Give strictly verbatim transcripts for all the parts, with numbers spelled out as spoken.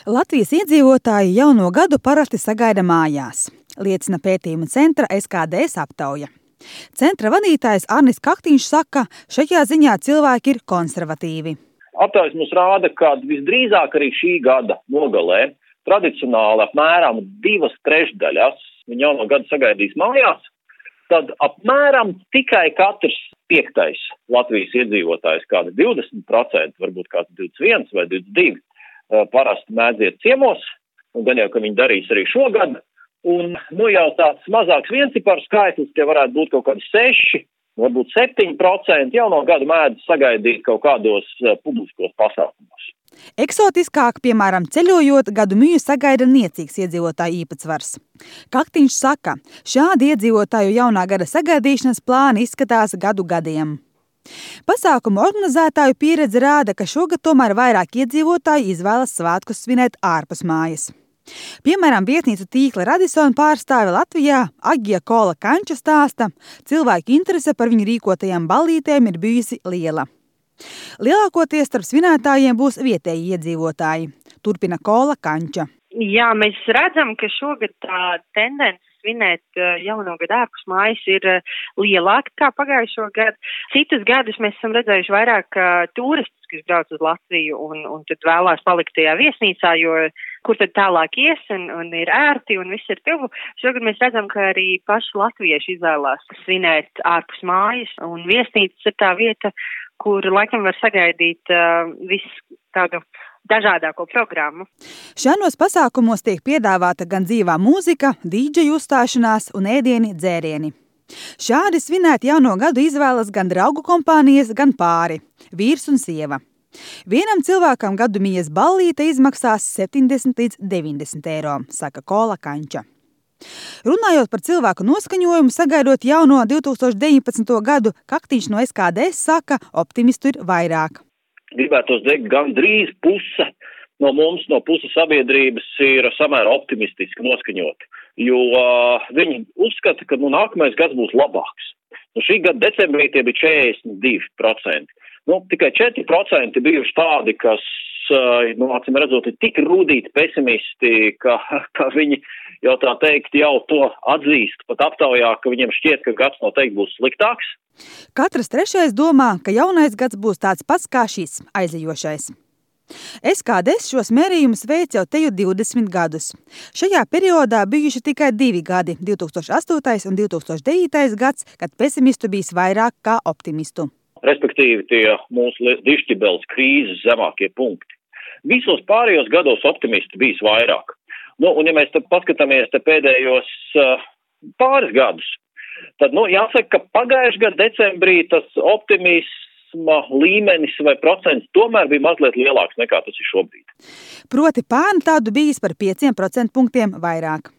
Latvijas iedzīvotāji jauno gadu parasti sagaida mājās, liecina pētījuma centra S K D S aptauja. Centra vadītājs Arnis Kaktiņš saka, šajā ziņā cilvēki ir konservatīvi. Aptaujas mums rāda, ka visdrīzāk arī šī gada nogalē tradicionāli apmēram divas trešdaļas viņa jauno gadu sagaidīs mājās, tad apmēram tikai katrs piektais Latvijas iedzīvotājs, kāda divdesmit procenti, varbūt kāds divdesmit viens vai divdesmit divi, parasti mēdziet ciemos, un gan jau, ka viņi darīs arī šogad, un nu jau tāds mazāks viencipars skaitlis, tie varētu būt kaut kādi seši, varbūt septiņi procenti jauno gadu mēdz sagaidīt kaut kādos publiskos pasākumos. Eksotiskāk, piemēram, ceļojot, gadu mīju sagaida niecīgs iedzīvotāju īpatsvars. Kaktiņš saka, šādi iedzīvotāju jaunā gada sagaidīšanas plāni izskatās gadu gadiem. Pasākumu organizētāju pieredze rāda, ka šogad tomēr vairāk iedzīvotāji izvēlas svētkus svinēt ārpus mājas. Piemēram, vietnīcu tīkla Radisson pārstāve Latvijā Agija Kola Kanča stāsta, cilvēku interese par viņu rīkotajām ballītēm ir bijusi liela. Lielākoties starp svinētājiem būs vietēji iedzīvotāji, turpina Kola Kanča. Jā, mēs redzam, ka šogad tā tendence svinēt jauno gadu ārpus mājas ir lielāka kā pagājušo gadu. Citus gadus mēs esam redzējuši vairāk turistus, kas brauc uz Latviju un, un tad vēlās palikt tajā viesnīcā, jo kur tad tālāk ies un, un ir ērti un viss ir tuvu. Šogad mēs redzam, ka arī paši latvieši izvēlās svinēt ārpus mājas, un viesnīcas ir tā vieta, kur laikam var sagaidīt uh, visu tādu dažādāko programmu. Šādos pasākumos tiek piedāvāta gan dzīvā mūzika, dīdžeju uzstāšanās un ēdieni, dzērieni. Šādi svinēt jauno gadu izvēlas gan draugu kompānijas, gan pāri, vīrs un sieva. Vienam cilvēkam gadu mījas ballīte izmaksās septiņdesmit līdz deviņdesmit eiro, saka Kola Kanča. Runājot par cilvēku noskaņojumu, sagaidot jauno divi tūkstoši deviņpadsmito gadu, Kaktiņš no S K D S saka, optimistu ir vairāk. Gribētos teikt, gan drīz puse no mums, no puses sabiedrības ir samērā optimistiski noskaņoti, jo uh, viņi uzskata, ka nu, nākamais gads būs labāks. Nu, šī gada decembrī tie bija četrdesmit divi procenti. Nu, tikai četri procenti bijuši tādi, kas, uh, nu, acīm redzot, ir tik rūdīti pesimisti, ka, ka viņi jau tā teikt jau to atzīst pat aptaujā, ka viņiem šķiet, ka gads noteikti būs sliktāks. Katrs trešais domā, ka jaunais gads būs tāds pats kā šis aizejošais. S K D S šos mērījumus veic jau teju divdesmit gadus. Šajā periodā bijuši tikai divi gadi, divi tūkstoši astotais un divi tūkstoši devītais gads, kad pesimistu bijis vairāk kā optimistu. Respektīvi tie mūsu dišķibeles krīzes zemākie punkti. Visos pārējos gados optimisti bijis vairāk. Nu, un ja mēs te paskatāmies te pēdējos uh, pāris gadus, tad, nu, jāsaka, ka pagājušajā gada decembrī tas optimisma līmenis vai procents tomēr bija mazliet lielāks nekā tas ir šobrīd. Proti pērn tādu bijis par pieciem procentpunktiem vairāk.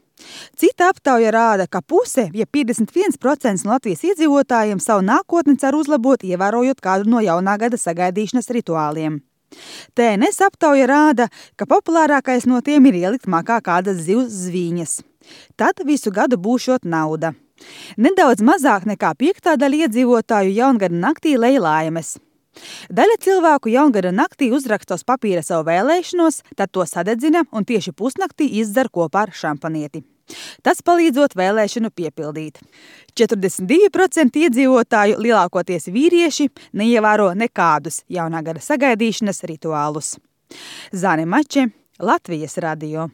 Cita aptauja rāda, ka puse, ja piecdesmit viens procents no Latvijas iedzīvotājiem savu nākotni cer uzlabot, ievērojot kādu no jaunā gada sagaidīšanas rituāliem. T N S aptauja rāda, ka populārākais no tiem ir ielikt makā kādas zivs zvīņas. Tad visu gadu būšot nauda. Nedaudz mazāk nekā piektā daļa iedzīvotāju jaungada naktī lej laimes. Daļa cilvēku jaungada naktī uzraksta uz papīra savu vēlēšanos, tad to sadedzina un tieši pusnaktī izdzer kopā ar šampanieti. Tas palīdzot vēlēšanu piepildīt. četrdesmit divi procenti iedzīvotāju, lielākoties vīrieši, neievēro nekādus jaunā gada sagaidīšanas rituālus. Zane Mače, Latvijas radio.